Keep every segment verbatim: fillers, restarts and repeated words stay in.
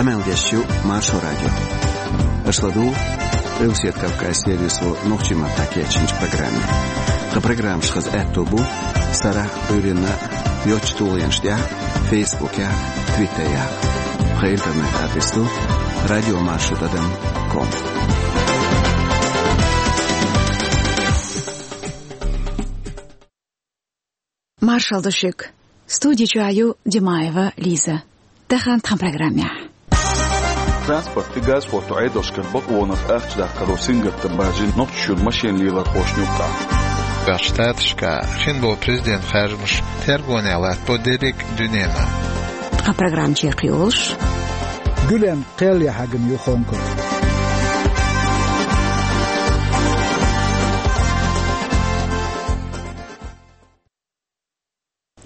Къамел деш ю Маршо радио. Аша ладугӀу Къилбаседа Кавказан сервисо нохчийн маттахь кечйинчу программе. Тхан программаш хаза аьтто бу сарахь, Ӏуьйранна йоцчу тулгӀенаш тӀехь, Фейсбукехь, Твиттерехь. Тхан интернет адрес ду радио маршо тӀадам ком. Маршалла ду шуьга. Студи чохь ю Димаева Лиза. Тахана тхан программехь. Транспортан, газа хӀотто Ӏедалшкара бакъонах ахча даккхаро сингаттам баржийна Нохчийчуьра машен лелорхошна юккъехь. Ӏаьрбийн Штаташкахь хин болу президентан харжамаш тергонехь латтабо дерриг а дуьненахь. Тхан программа чекхйолуш: Гуьлен кхел яхьагна ю Хонконг.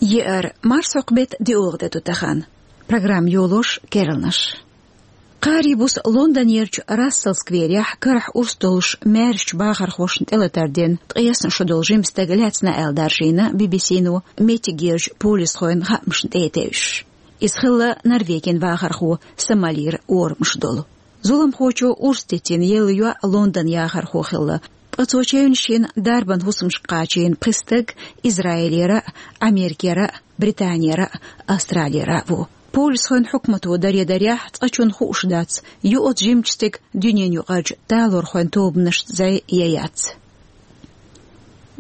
Еара марсхьокху беттан диъолгӀа де ду тахана. Программа йолош керланаш. Кхаарин буса Лондонерчу Рассел скверехь карахь урс долуш маьршачу бахархошна тӀелатар дина, ткъесна шо долу жима стаг лаьцна аьлла даржийна Би-Би-Си-но меттигерчу полисхойн хаамашна тӀе а тевжаш. Иза хилла Норвегин вахархо, Сомалира орамаш долу. Зуламхочо урс дитина елла йоӀ Лондон яхархо хилла. Ткъа цо чевнаш йина дарбан хӀусамашка кхачийна пхи стаг Израилера а, Америкера а, Британера а, Австралера а ву. Полисхойн хьукмато даре-дарехь цкъачунна хууш дац, ю оцу жимачу стеган дуьненаюкъарчу талорхойн тобанашца зӀе я яц.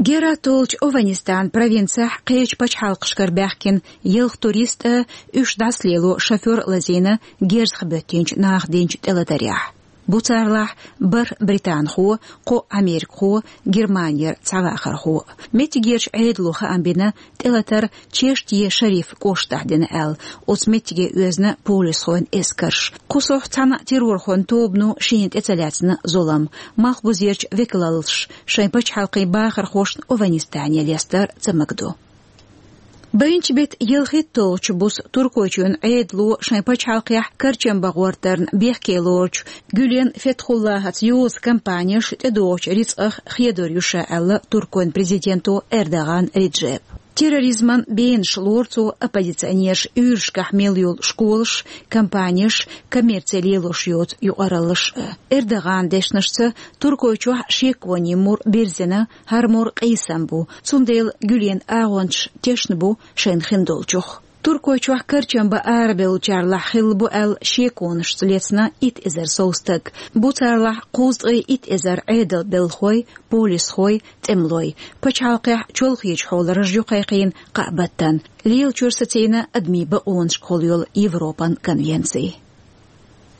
Герат олучу Ованистанан провинцехь кхечу пачхьалкхашкара баьхкина ялх турист а, уьш дӀасалело шофер а лазийна герзах боьттинчу наха динчу тӀелатарехь. Бу царлахь бархӀ британхо, кхо америкахо, Германера цхьа вахархо. Меттигерчу Ӏедало хаам бина, тӀелатар Чеште-Шариф кӀоштахь дина аьлла, оцу меттиге оьзна полисхойн эскарш. Кху сохьта цхьана а террорхойн тобано шена тӀе ца лаьцна зулам. Малхбузерчу векалаллаша шайн пачхьалкхийн бахархошна Ованистане лестар ца магадо. Байначу беттан ялхитталгӀачу буса Туркойчоьнан Ӏедало шайн пачхьалкхехь карчам бан гӀортарна бехке лоручу Гюлен Фетхуллахьаца йоза компанеш тӀедогӀучу рицкъах хедор ю ша аьлла Туркойн президенто Эрдоган Реджепа. Терроризман бенаш лору цо оппозиционераш уьйрашкахь мел йолу школаш, компанеш, коммерци лелош йоцу юкъараллаш а. Эрдоган дешнашца, Туркойчохь шеконийн мур бирзина, хӀара мур къийсам бу, цундела Гюлен агӀончаш тешна бу шайна хиндолчух. Туркойчохь карчам бан арабевллачарлахь хилла бу аьлла шеконашца лецна итт эзар сов стаг. Бу царлахь кхузткъе итт эзар Ӏедалан белхалой, полисхой, тӀемалой. Пачхьалкхехь чолхечу хьолан раж ю кхайкхийна кхаа баттана. Лелачуьра сацийна адамийн бакъонашкахула йолу Европан конвенци.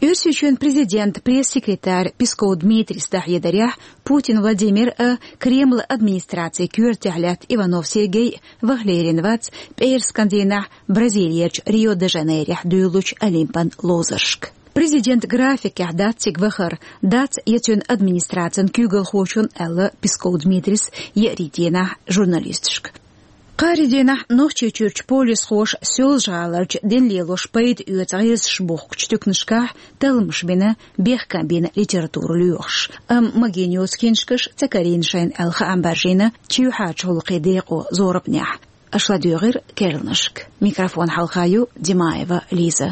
Оьрсийчоьнан президентан пресс-секретарь Песков Дмитрийс дӀахьедарехь, Путин Владимир а, Кремлан администрацин коьртехь лаьтта Иванов Сергей а ваха лерина вац пӀераскан дийнахь Бразилерчу Рио-де-Жанейрехь дуьйлучу Олимпан ловзаршка. Президентан графикехь дац цига вахар, дац я цуьнан администрацин куьйгалхочун, аьлла Песков Дмитрийс еарин дийнахь журналисташка. Кхаарин дийнахь Нохчийчуьрчу полисхоша Соьлжа-ГӀаларчу дин лелош пайда оьцу гӀирсаш бухкучу туькнашкахь талламаш бина бехкам бина литература лоьхуш, амма магийна йоцу киншкаш ца карийна шайна аьлла хаам баржийна чоьхьарчу гӀуллакхийн декъо зорбанехь. Аша ладоьгӀира керланашка. Микрофон хьалха ю Димаева Лиза.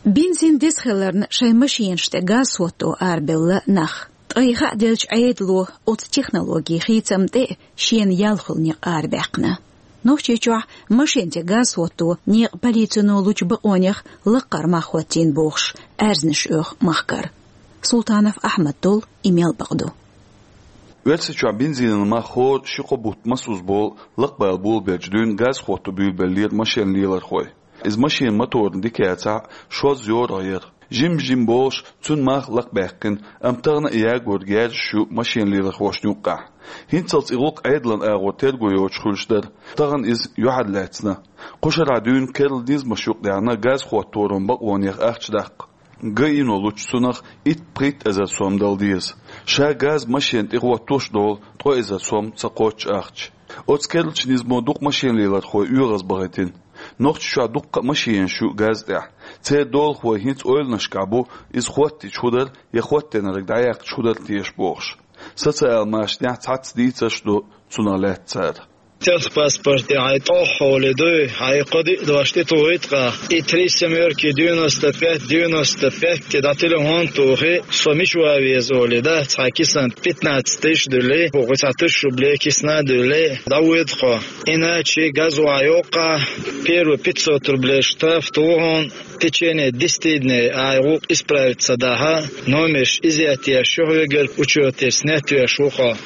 Бензин деза хиларна шайн машенаш тӀе газ хӀотто арабевлла нах. Ткъа и хааделча Ӏедало оцу технологин хийцам тӀе а шена ял хуьлу некъ арабаьккхина. Нохчийчохь машен тӀе газ хӀотто некъан полицино лучу бакъонех лаккхара мах хӀоттийна бохуш, аьрзнаш оьху махкара. Султанов Ахьмад долу и мел бакъ ду. Оьрсийчохь бензинан мах хӀора ши-кхо бутт масузза болу лакхабала болабелча дуьйна газ хӀотто буьйлабеллера машен лелорхой. Иза машенан моторна дика яцахь, шозза йорах яра. Жим-жим болуш цуьнан мах лакхабаьккхина, амма тахана а ягор герзаш ю машен лелорхошна юккъехь. ХӀинццалц и гӀуллакх Ӏедалан агӀор терго йоцуш хуьлуш дара. Тахана иза юьхьарлаьцна. Кху шарахь дуьйна керла низамаш юкъадаьхна газ хӀотторан бакъонех ахча даккха. ГАИ-но лучу цунах итт-пхийтта эзар сом дала деза. Ша газ машен тӀе хӀоттош долу ткъа эзар сом ца кхоччу ахча. Оцу керлачу низамо дукха машен лелорхой оьгӀазбахийтина. Нохчийчохь дуккха а машенаш ю Газа тӀехь. Церан долахой хӀинца ойланашкахь бу, иза хӀоттийча хӀун дара я хӀоттийнарг дӀаяккхича хӀун дара теша бохуш. Социал машанехь цхьацца дийцарш ду цунах лаьцна цара. Техпаспорте хьайн тӀох хьоле дуй, хьайн кхо-диъ дош тӀетухуьйту-кх, и три семёрки девяносто пять девяносто пять дӀа телефон тухий, со мича ван веза олий, да, цхьа кисана пятнадцать тысяч дуьллий, кху цхьа тысяча рублей кисана дуьллий, дӀавоьду-кх. Иначе Газа охьайоккху-кх, первый пятьсот рублей штраф туху хьуна, в течение десяти дней ахь гӀуллакх исправить ца дахь, номерш изъять еш ю хьоьгара, учёте снять веш ву-кх.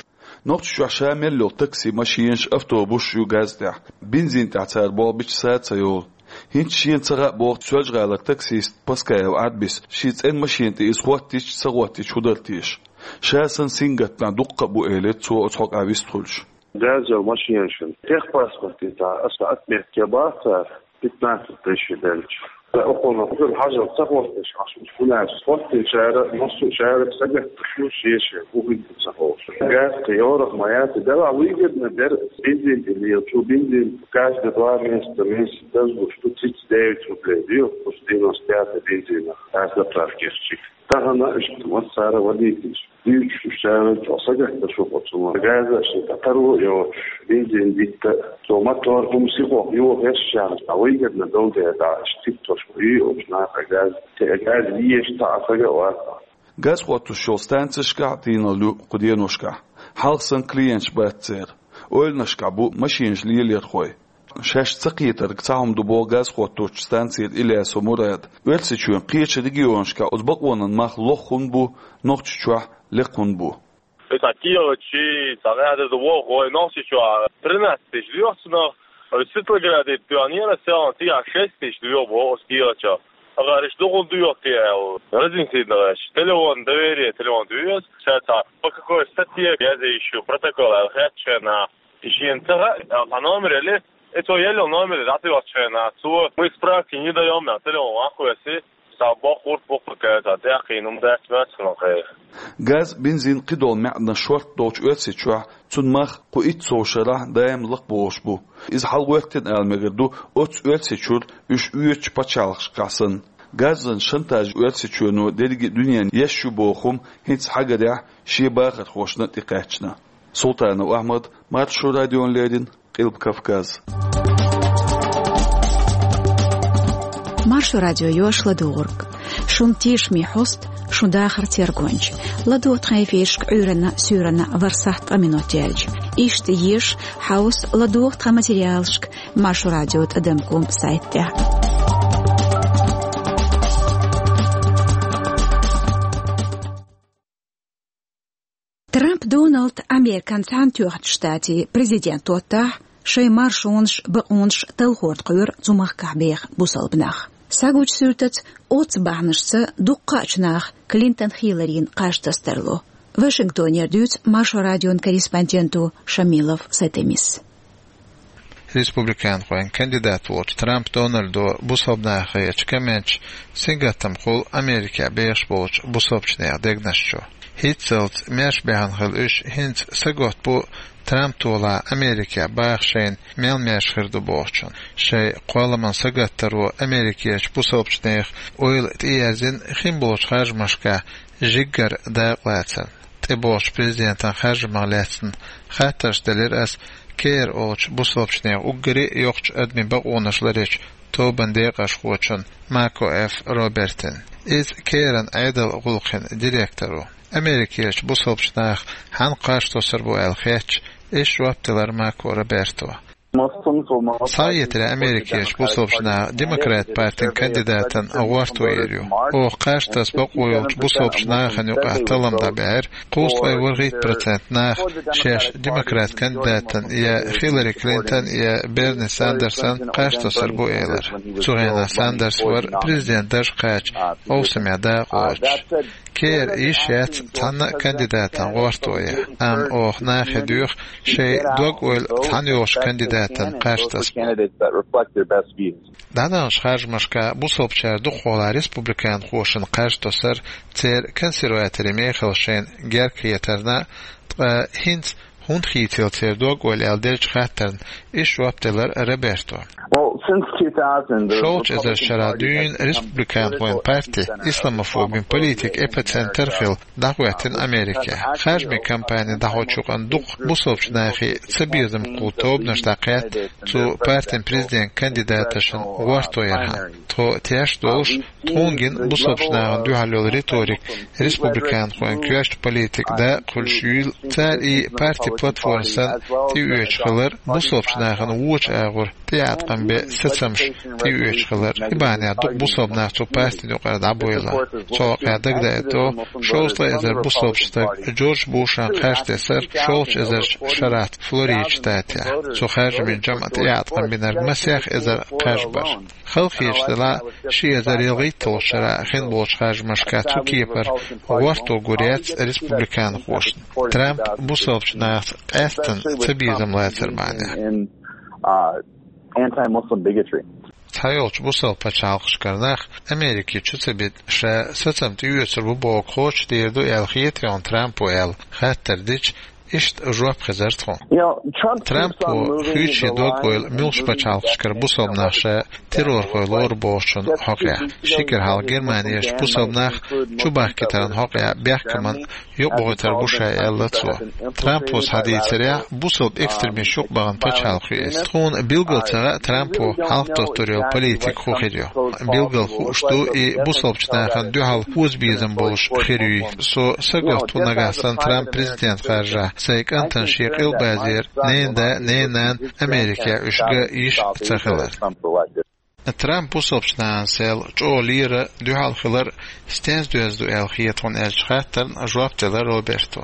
Нохчийчохь ша мел йолу такси машенаш, автобусаш ю Газа тӀехь. Бензин тӀехь цара болх бича сов ца йолу. ХӀинца шена ца хаьа боху Соьлжа-ГӀалара таксист Паскаев Ӏарбис, шен цӀена машена тӀе иза хӀоттийча, ца хӀоттийча хӀун дара теша. Ша санна сингаттамехь дуккха а бу, элира цо оцу хьокъехь вистхуьлуш. Газа йолу машенашна техпаспорте цхьа аса отметка бац цара, пятнадцать тысяч белча. Ткъа окхунах хӀуьлла хьажал ца хӀоттийча, хьуна аьлча, хӀоттийчара массо а шарах сагатдеш ю шен-шен, хӀун хир ду ца хууш. Газа кхин йорах ма яц, делахь выгодно дара бензин тӀе лелачо, бензин каждые два месяца, месяц дазлуш ду, цица девять рублей ду, оцу девяносто пятый бензинах, аз заправкех чу. Тахана иштта массара а вадийтича, дуьйцуш уьш цара чӀогӀа сагатдеш ву оцунах. Газа шен тӀе таро а йоцуш, бензин дитта, цо мотор хӀума сихо йохош шарна, цхьа выгодно долу дела, иштта циттарш ма ю оцу наха Газа. Те Газа езаш цхьа а сага а вац. Газа хӀоттош йолу станцешкахь а тийналла ю кху деношкахь. Хьалха санна клиенташ бац церан. Ойланашкахь бу машенаш лелорхой. Шаьш ца кхетарг цхьа хӀума ду боху газа хӀотточу станцера Ильясов Мурада. Оьрсийчоьнан кхечу регионашкахь оцу бакъонан мах лоха хӀунда бу, Нохчийчохь лекха хӀунда бу? Иза кхечу, цхьа гӀада ду боху вай Нохчийчохь тринадцать тысяч лоьху цунах, а Светлограде тоьхнера селхана, цигахь шесть тысяч лоьху боху оцу кхечу. Ахара иштта ду хӀунда доьху те аьлла, разъяснить дан гӀерташ. Телефон, доверие, телефон доьху. Ша цхьа по какой статье язъе йиш ю, протокол аьлла хаьттича хенахь. И шена ца хаьа, цхьа номер елли, и цо елла номер дӀатоьхча хенахь, цо: «Мы справки не даём», аьлла, телефон ван кхоьссий, цхьа боккха гӀурт бу-кх, цхьа тӀаьхьа кхин хӀума дац моьттуш хилла кхайкха. Газ, бензин, кхидолу маьӀданаш шорта долчу Оьрсийчохь цуьнан мах кху итт сов шарахь даим лакхабохуш бу. Иза хьалагӀоьттина ала мегар ду оцу Оьрсийчуьра уьш оьцучу пачхьалкхашкахь санна. Газан шантаж Оьрсийчоьно дерриге а дуьненна еш ю боху хӀума хӀинца хьагарехь шен бахархошна тӀекхаьчна. Султанов Ахьмад, Маршо радиона леррина, Къилба Кавказ. Маршо радио йош ладугӀург. Шун тешаме хьоста, шун дахар тергонча. ЛадугӀа тхан эфирашка Ӏуьйранна, суьйранна ворхӀ сахьт ткъа минот яьлча. Иштта еша, хьовса, ладугӀа тхан материалашка Маршо радио тӀадам ком сайтехь. Трамп Доналд Американ Цхьаьнатоьхначу Штатийн президент доттахь, шайн маршонаш, бакъонаш талхор тхоьру цу махкахь беха бусалба нах. Схьагучу суьртаца, оццу бахьанашца дуккхачу наха Клинтон Хилларина кхаж тасса тарло. Вашингтонера дуьйцу Маршо радион корреспонденто Шамилов Сатемис. Республиканхойн кандидат волчу Трамп Дональдо бусалба нахе ечу комменташа сингаттам хуьлу Америкехь бехаш болчу бусалбачу нехан дегнаш чу. ХӀинццалц маьрша баьхна хила уьш хӀинца сагатта бу Трамп толахь Америкехь баха шайна мел маьрша хир ду бохучун. Шайн кхолламан сагаттаро Америкерчу бусалбачу нехан ойла тӀеерзина хин болчу харжамашкахь жиггара дакъалацарна. ТӀебогӀучу президентан харжамах лаьцна хаттарш делира ас Кер олучу бусалбачу нехан уггаре а йоккхачу адамийн бакъонаш ларъечу тобанан декъашхочун Мако Ф. Робертан. Иза Керан Ӏедалан гӀуллакхийн директор ву. Америкерчу бусалбачу наха хьанна кхаж тосур бу аьлла хеттача, иштта жоп делира Мако Роберто. Схьаэцарехь, Америкерчу бусалбачу наха Демократ партин кандидатан гӀортор ю. Оха кхаж таса бакъо йолчу бусалбачу нахана юкъахь таллам дӀабаьхьира, кхузткъе ворхӀитта процент наха шаьш Демократ кандидатан я Хиллари Клинтон я Берни Сандерсан кхаж тасур бу элира. Цу хенахь Сандерс вара президент дарж кхача, овсамехь дакъа лоцуш. Кера йиш яц цхьанна а кандидатан гӀортор ян, амма оха нахе доьху шайн дог-ойла цхьаьна йолчу кандидатан кхаж тасар. ДӀадаханчу харжамашкахь бусалбачара дукхахволахь республиканхошна кхаж тосар церан консерваторийн мехала шайна герга хетарна, ткъа хӀинца хӀунда хийцаелла церан дог-ойла аьлла деллачу хаттарна иштта жоп делира Роберто. Шовзткъа эзар шера дуьйна республиканхойн парти исламофобин политикан эпицентр хилла дӀахӀоьттина Америке. Харжамийн кампани дӀахьочу юкъанна дукха бусалба нахи цабезам кхуллу тобанаш дӀакхаьчна цу партин президент кандидаташна гӀортор яхьан. Тхо теш долуш, тхуна гина бусалба нахана дуьхьал йолу риторика республиканхойн коьртачу политикан дакъа хуьлуш юйла, цара и парти платформа санна тӀеоьцуш хилар бусалба нахана вочу агӀор тӀеӀаткъам бен сацамаш тӀеоьцуш хилар. И бахьанехь дукха бусалба нах цу партина юкъара дӀабевлла. Цу хьокъехь дагадаийта, шовзткъа эзар бусалба стаг Джордж Бушан кхаж тесира шовзткъа эзарчу шарахь Флорида штатехь. Цу харжамийн жамӀа тӀеӀаткъам бинарг масех эзар кхаж бара. Хала хеташ делахь, ши эзар ялхитталгӀачу шарахь хин болчу харжамашкахь цу кепара гӀортор гур яц республиканхошна, Трамп бусалба нахаца къаьсттина цабезам лацар бахьанехь. Цхьайолчу бусалба пачхьалкхашкара нах Америке чу ца бита ша сацам тӀеоьцур бу боху кхочушдийр ду аьлла хета хьуна Трампо аьлла хаттар дича, иштта жоп хезара тхуна. Трампо хуьйцу шен дог-ойла муьлххачу пачхьалкхашкара бусалба нах ша террорхой лору бохучун хьокъехь. Ши кӀира хьалха Германерчу бусалба нах чубахкийтаран хьокъехь бехкаман юкъабахийтар бу ша аьлла цо. Трампо схьадийцарехь, бусалба экстремисташ юкъабахана пачхьалкх ю иза. Тхуна билггал ца хаьа Трампо хьалхадоттур йолу политика хӀун хир ю. Билггал хууш ду и бусалба нахана дуьхьал озабезам болуш хир юй. Со сагатду нагахь санна Трамп президент харжахь сайн кӀантана шен къилбазера ненан да, ненан нана Америкехь уьш ган йиш ца хилар. Трамп бусалба нахана сел чӀогӀа лера дуьхьал хилар стенца доьзна ду аьлла хета хьуна аьллачу хаттарна жоп делира Роберто.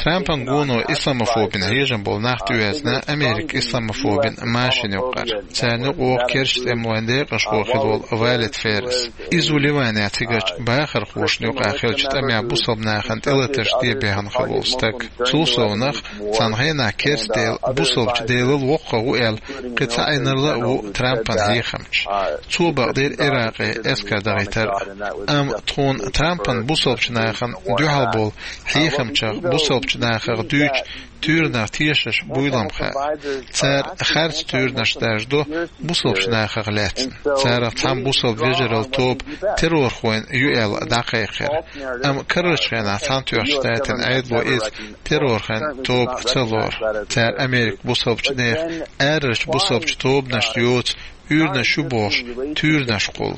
Трампан гуно исламофобин хьежам болу нах тӀеоьцна Американ исламофобин машина юкъара. Царна юкъахь керста тӀемалойн декъашхо хилла волу Валид Феррес. Иза ву Ливанехь цигарчу бахархошна юкъахь хиллачу тӀамехь бусалба нахана тӀелатарш де бехна хилла волу стаг. Цул совнаха, цхьана хенахь керста дела бусалба делал воккхах ву аьлла, кхин цхьа Ӏинарла а ву Трампан хьехамча. Цо бакъдира Иракъе эскар дахийтар а. Амма тхуна Трампан бусалба нахана дуьхьал болу хьехамчех бусалба нахах дуьйцу туьйранах тешаш буйла-м хаьа. Цара харц туьйранаш даржадо бусалба нахах лаьцна. Царах цхьамма бусалба вежаралла тоба террорхойн ю аьлла дӀакхайкхира. Амма карарчу хенахь Цхьаьнатоьхначу Штатийн Ӏедало иза террорхойн тоба ца лору. Цара Американ бусалба нехан арарчу бусалба тобанашна йоцу уьйранаш ю бохуш туьйранаш кхуллу.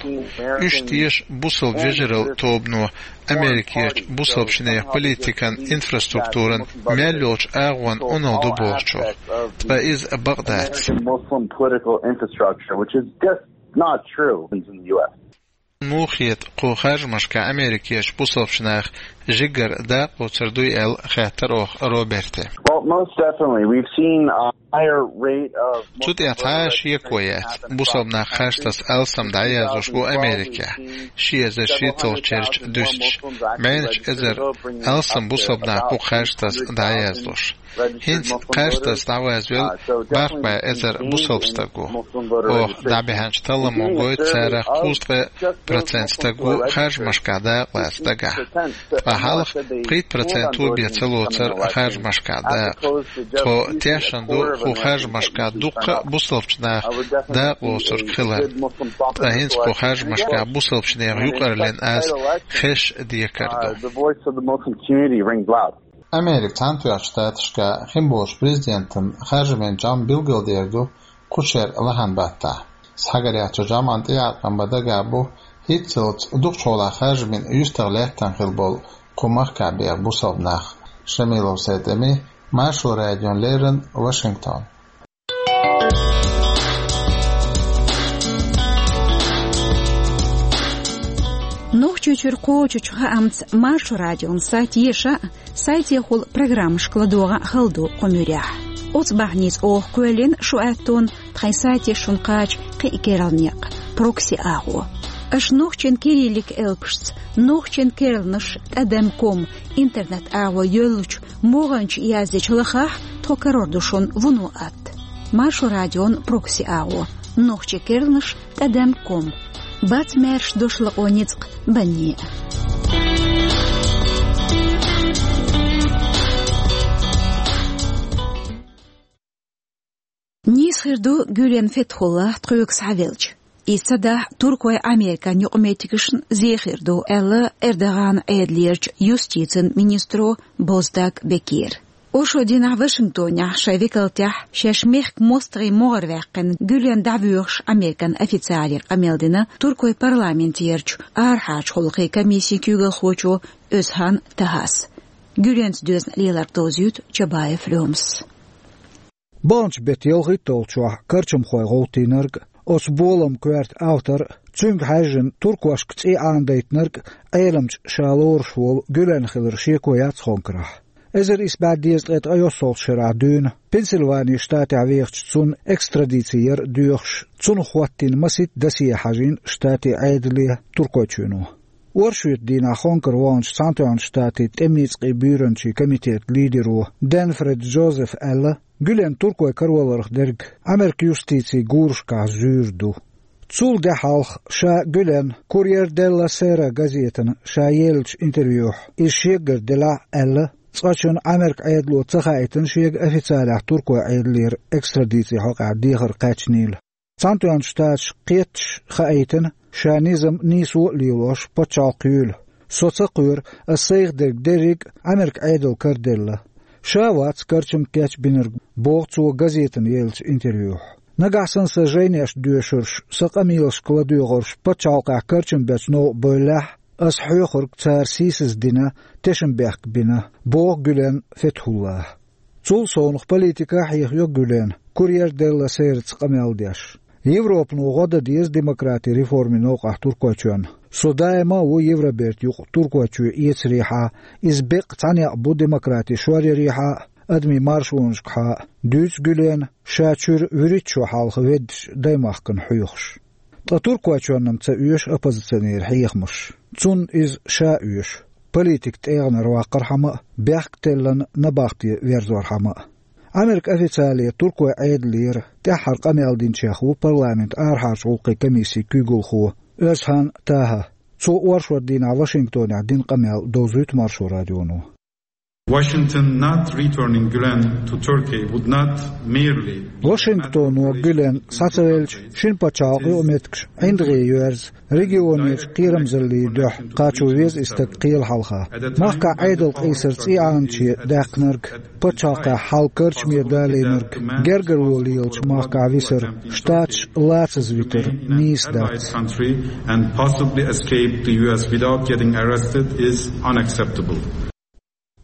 Уьш теша бусалба вежаралла тобано Америкерчу бусалба нехан политикан инфраструктуран мел йолчу агӀонна Ӏуналла ду бохучух. Ткъа иза бакъ дац. Muslim political infrastructure, which is just not true in the U S. Муха хета кху харжамашкахь Америкерчу бусалба наха жигара дакъа лоцур дуй аьлла хаьттира оха Роберте. Well, most definitely. We've seen a higher rate of Цу тӀехь цхьа а шеко яц. Бусалба нах харжтаса алсам дӀаяздеш бу Америкехь, ши эзар шийтталгӀачу шарахь дуьстича. БӀеннаш эзар алсам бусалба нах бу харжтаса дӀаяздеш. ХӀинца харжтаса дӀавазвелла бархӀ бӀе эзар бусалба стаг ву. Оха дӀабаьхьначу талламо гойту царах кхузткъе процент стаг ву харжамашкахь дакъа лаца дагахь. Ткъа хьалха пхийтта процент ву бен ца лоцура харжамашкахь дакъа. Тхо тешна ду кху харжамашкахь дуккха а бусалба наха дакъа лоцург хилар. Ткъа хӀинца кху харжамашкахь бусалба нехан юкъарлина аз хезаш декар ду. Американ Цхьаьнатоьхначу Штаташкахь хин болчу президентан харжамийн жамӀ билгалдер ду кху шеран лахьан баттахь. Схьагарехь цу жамӀан тӀеӀаткъам бан дагахь бу хӀинццалц дукхачу хьолахь харжамийн юьстах лаьттина хилла болу кху махкахь беха бусалба нах. Шамилов Сайтами, Маршо радиона леррина, Вашингтон. Нохчийчуьра кхочучу хаамца Маршо радион сайт еша а, сайтехула программашка ладогӀа а хала ду кху муьрехь. Оцу бахьаница оха кхоьллина шу аьттон тхайн сайте шуна кхача кхин а керла некъ, прокси агӀо. Аша нохчийн кириллик элпашца, нохчийн керланаш тӀадам ком интернет агӀо йоьллучу могӀанчу яздечу лахахь, тхо карор ду шуна вуно атта. Маршо радион прокси агӀо, нохчийн керланаш тӀадам ком. Бац маьрша дош лакъо ницкъ банне а. Хир ду Гюлен Фетхулла тхоьга схьавелча. Иза ца дахь, Туркойн Американ юкъаметтигашна зе хир ду, аьлла Эрдоган Ӏедалерчу юстицин министро Боздаг Бекира. Оршот дийнахь Вашингтонехь шайн векалтехь шаьш мехкан мостагӀийн могӀара ваьккхина Гюлен дӀавоьхуш Американ официале къамел дина Туркойн парламентерчу арахьарчу гӀуллакхийн комиссин куьйгалхочо Оьзхан Тахас. Гюленца доьзна леларх довзуьйту Чабаев Лёмас. Баханчу беттан ялхитталгӀачохь карчамхой гӀовттийнарг, оцу боламан коьрта автор, цуьнга хьаьжжина туркошка цӀий Ӏанадайтинарг Ӏеламчу ша лоруш волу Гюлен хилар шеко яц Хонкарахь. Эзар исс бӀе дезткъе ткъайоьссалгӀачу шарахь дуьйна Пенсильвани штатехь вехачу цунна экстрадици яр доьхуш, цунах хӀоттийна масийтта досье хьажийна штатийн Ӏедале Туркойчоьно. Оршотан дийнахь Хонкара ваханчу Цхьаьнатоьхначу Штатийн тӀеман ницкъийн буьйранчин комитетан лидеро Денфред Джозефа аьлла, Гюлен Туркойн караваларх дерг Америкин юстицин гурашкахь зуьйр ду. Цул де хьалха ша Гюлен Курьер делла Сера газетана ша еллачу интервьюхь, иза шегара делахь а аьлла, цкъачунна Америкин Ӏедало ца хаийтина шега официалехь Туркойн Ӏедалера экстрадицин хьокъехь дехар кхаьчнийла. Цхьаьнатоьхначу Штаташка кхетташ хаийтина, ша низам нийсо а лелош пачхьалкх юйла. Со ца кхоьру, ас сайх дерг дерриг а Америкин Ӏедална караделла. Ша вац карчам кечбинарг, боху цо газетана еллачу интервьюхь. Нагахь санна сан жайнеш доьшурш, сан къамелашка ладоьгӀурш пачхьалкхехь карчам бечу новкъа бевллехь, ас хьоьхург цара сийсаздина, тешнабехк бина, боху Гюлен Фетхуллас. Цул совнаха политика а хьехайо Гюлена, Курьер делла Сераца къамел деш. Европано гӀо дан деза демократин реформийн новкъахь Туркойчоьнна. Со даима а ву Евробертан юкъа Туркойчоь эцарехьа, иза беккъа цхьа некъ бу демократин шоръярехьа а, адамийн маршонашкахьа а, дуьйцу Гюлена, ша чуьра вуьрхӀитта шо хьалха веддачу даймахкана хьоьхуш. Ткъа Туркойчоьнна-м ца оьшу оппозиционерийн хьехамаш. Цунна иза ша оьшу. Политикан тӀегӀанара ваккхархьама а, бехк теллина набахте верзорхьама а. Америкин официале Туркойн Ӏедалера тӀаьххьара къамел динчех ву парламентан арахьарчу гӀуллакхийн комиссин куьйгалхо Оьзхан Таха. Цо оршотан дийнахь Вашингтонехь дина къамел довзуьйту Маршо радионо. Washington not returning Gülen to Turkey would not merely Вашингтоно Гюлен схьа ца велча, шина пачхьалкхан юкъаметтигаш ӀиндагӀе йоьрзу, регионерчу кхерамзаллийн дуьхьа кхачо веза и стаг кхелан хьалха. Махкахь Ӏедал къийсар цӀий Ӏаначе даьккхинарг, пачхьалкхехь хьал карчаме далийнарг, гергарло лелачу махкахь висар, штаташ лацаза витар нийса дац. Country and possibly escape the U S without getting arrested is unacceptable.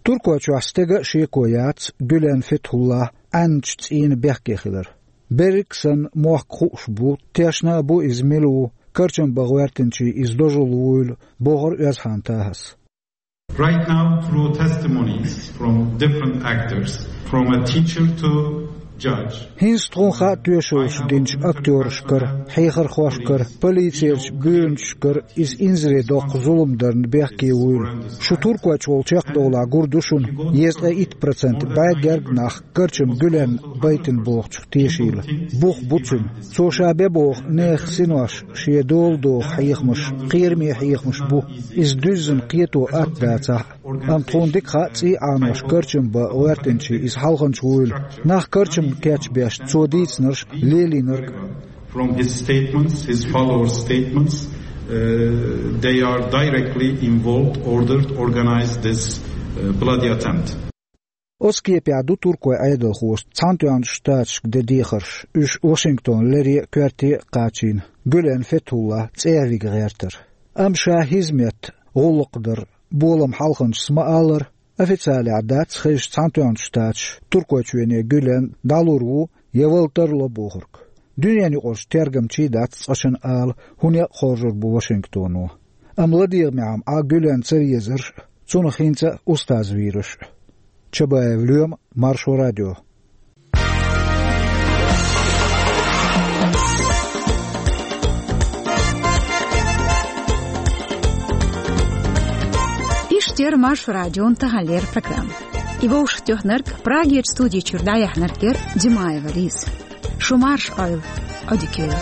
Туркойчохь стеган а шеко яц Гюлен Фетхуллас Ӏаьнначу цӀийнан бехке хилар. Берриг а санна, мохк хууш бу, тешна а бу иза мила ву, карчам бан гӀоьртинчийн иза дожалла вуйла, бохура Оьзхан Тахас. Right now, through testimonies from different actors, from a teacher to judge. ХӀинца тхуна хаьа тоьшаллаш динчу актёрашкара, хьехархошкара, полицерчу буьйранчашкара иза инзаре доккху зулам дарна бехке вуйла. Шу Туркойчу волу чекхдовлахь гур ду шуна, дезткъе итт процент бӀе герга нах карчам Гюлен байтина бохучух тешийла. Бух бу цуьнан. Цо ша бен боху нехан синош шен дола доху хьехамаш кхераме хьехамаш бу. Иза дуьззина кхето атта дацахь а. Амма тхуна дика хаьа цӀий Ӏанош карчам бан гӀоьртинчийн иза хьалханча вуйла. Нах карчам кечбеш цо дийцинарш лелийнарг. From his statements, his followers' statements, uh, they are directly involved, ordered, organized this uh, bloody attempt. Оцу кепехь ду Туркойн Ӏедалхоша Цхьаьнатоьхначу Штаташка ден дехарш, уьш Вашингтон лере а, коьрте а кхачийна, Гюлен Фетхуллас цӀехьа вига гӀертар. Амма ша хӀизмет, гӀуллакх дар, болам хьалханчас ма-аллара, официалехь дац хезаш Цхьаьнатоьхначу Штаташа Туркойчоьне Гюлен дӀалур ву я вала тарло бохург. Дуьненаюкъарчу тергамчийн дац цкъачунна ала, хӀун некъ хоржур бу Вашингтоно. Амма ладегӀамехь-м Ӏа Гюлен ца везарш а, цунах хӀинца а устаз вийраш а. Чабаев Лоьма, Маршо радио. Иштта яра Маршо радион таханлера программа. И вовшахтоьхнарг, Прагерчу студи чуьра дӀаяьхьнарг яра Димаева Лиза. Шу марша Ӏойла, Ӏодика йойла.